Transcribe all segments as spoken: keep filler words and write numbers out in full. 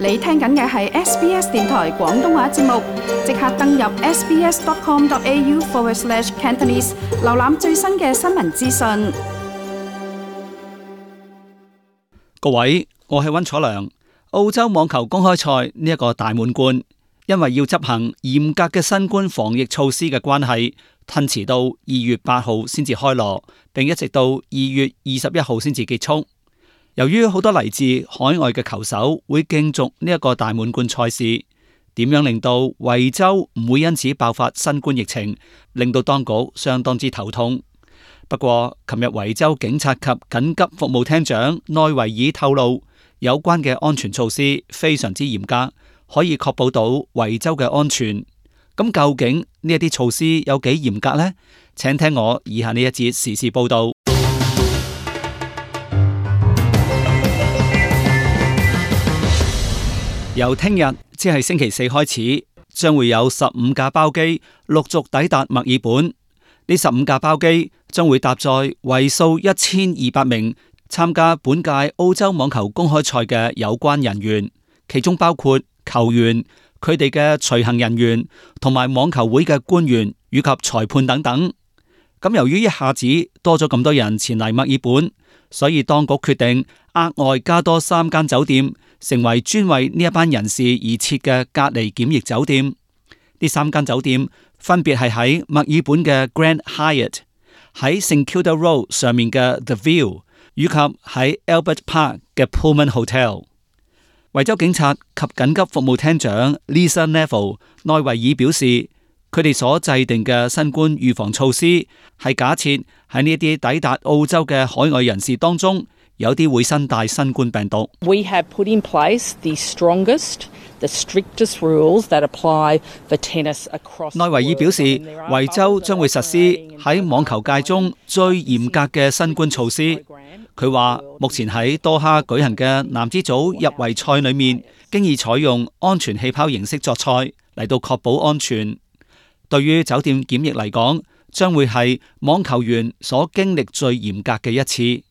你聽緊嘅係 S B S 電台廣東話節目，即刻登入 sbs.com.au forward slash Cantonese， 瀏覽最新嘅新聞資訊。各位，我係溫楚良。澳洲網球公開賽呢一個大滿貫，因為要執行嚴格嘅新冠防疫措施嘅關係，褪遲到二月八號先至開鑼，並一直到二月二十一號先至結束。由於好多嚟自海外嘅球手會競逐呢一個大滿貫賽事，點樣令到維州唔會因此爆發新冠疫情，令到當局相當之頭痛。不過，琴日維州警察及緊急服務廳長內維爾透露，有關嘅安全措施非常之嚴格，可以確保到維州嘅安全。咁究竟呢一啲措施有幾嚴格呢？請聽我以下呢一節時事報道。由聽日即係星期四開始，將會有十五架包機陸續抵達墨爾本。呢十五架包機將會搭載為數一千二百名參加本屆澳洲網球公開賽嘅有關人員，其中包括球員、佢哋嘅隨行人員同埋網球會嘅官員以及裁判等等。咁由於一下子多咗咁多人前嚟墨爾本，所以當局決定額外加多三間酒店，成為專為呢一班人士而設嘅隔離檢疫酒店。呢三間酒店分別係喺墨爾本嘅 Grand Hyatt、喺 St Kilda Road 上面嘅 The View， 以及喺 Albert Park 嘅 Pullman Hotel。維州警察及緊急服務廳長 Lisa Neville 內維爾表示，佢哋所制定嘅新冠預防措施係假設喺呢啲抵達澳洲嘅海外人士當中，有啲會身帶新冠病毒。We have put in place the strongest, the strictest rules that apply for tennis across. 內維爾表示，維州將會實施喺網球界中最嚴格嘅新冠措施。佢話，目前喺多哈舉行嘅男子組入圍賽裏面，經已採用安全氣泡形式作賽，嚟到確保安全。對於酒店檢疫嚟講，將會係網球員所經歷最嚴格嘅一次。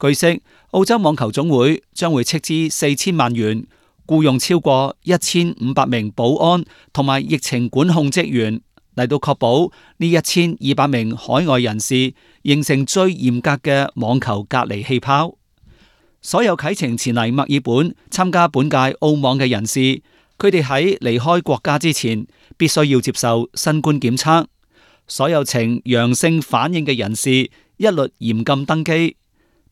據悉，澳洲網球總會將會斥資四千萬元，僱用超過一千五百名保安同埋疫情管控職員，嚟到確保呢一千二百名海外人士形成最嚴格嘅網球隔離氣泡。所有啟程前嚟墨爾本參加本屆澳網嘅人士，佢哋喺離開國家之前，必須要接受新冠檢測。所有呈陽性反應嘅人士，一律嚴禁登機。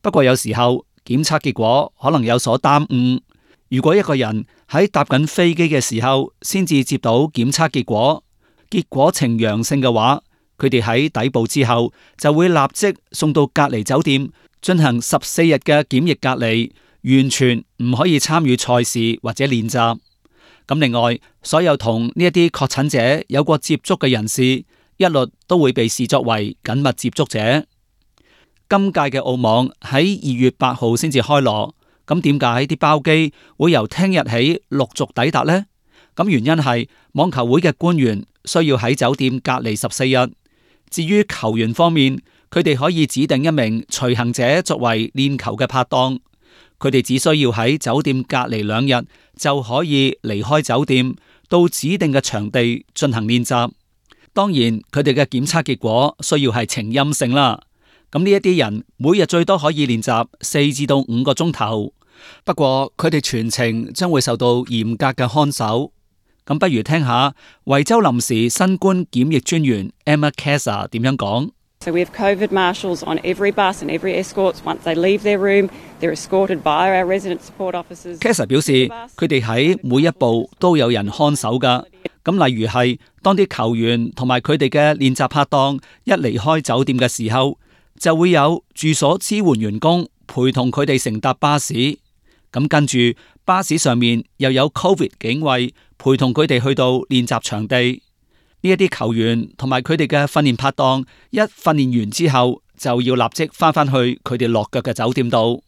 不過有時候檢測結果可能有所耽誤。如果一個人喺搭緊飛機嘅時候先至接到檢測結果，結果呈陽性嘅話，佢哋喺抵埗之後就會立即送到隔離酒店進行十四日嘅檢疫隔離，完全唔可以參與賽事或者練習。咁另外，所有同呢一啲確診者有過接觸嘅人士，一律都會被視作為緊密接觸者。今屆嘅澳網喺二月八號先至開鑼，咁點解啲包機會由聽日起陸續抵達呢？咁原因係網球會嘅官員需要喺酒店隔離十四日。至於球員方面，佢哋可以指定一名隨行者作為練球嘅拍檔，佢哋只需要喺酒店隔離兩日就可以離開酒店，到指定嘅場地進行練習。當然，佢哋嘅檢測結果需要係呈陰性啦。咁呢一啲人每日最多可以練習四至到五個鐘頭，不過佢哋全程將會受到嚴格嘅看守。咁不如聽下維州臨時新冠檢疫專員 Emma Kesa 點樣講。So we have COVID marshals on every bus and every escorts. Once they leave their room, they're escorted by our resident support officers. Kesa 表示，佢哋喺每一步都有人看守噶。咁例如係當啲球員同埋佢哋嘅練習拍檔一離開酒店嘅時候，就會有住所支援員工陪同佢哋乘搭巴士，咁跟住巴士上面又有 Covid 警衛陪同佢哋去到練習場地。呢一啲球員同埋佢哋嘅訓練拍檔一訓練完之後，就要立即翻返去佢哋落腳嘅酒店度。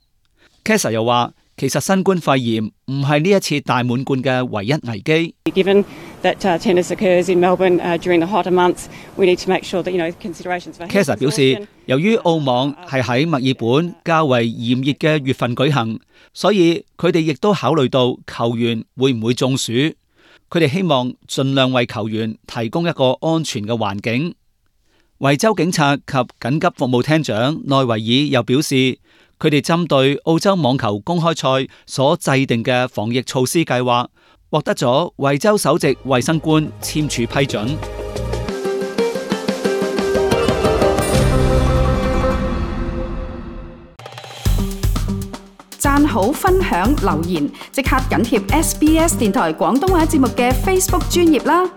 Kesa 又話，其實新冠肺炎唔係呢一次大滿貫嘅唯一危機。Given that uh, tennis occurs in Melbourne uh, during the hotter months, we need to make sure that you know considerations for. Kesa 表示，由於澳網係喺墨爾本較為炎熱嘅月份舉行，所以佢哋亦都考慮到球員會唔會中暑。佢哋希望盡量為球員提供一個安全嘅環境。維州警察及緊急服務廳長內維爾又表示，佢哋針對澳洲網球公開賽所制定嘅防疫措施計劃，獲得咗維州首席衛生官簽署批准。讚好、分享、留言，即刻緊貼 S B S 電台廣東話節目嘅 Facebook 專頁啦！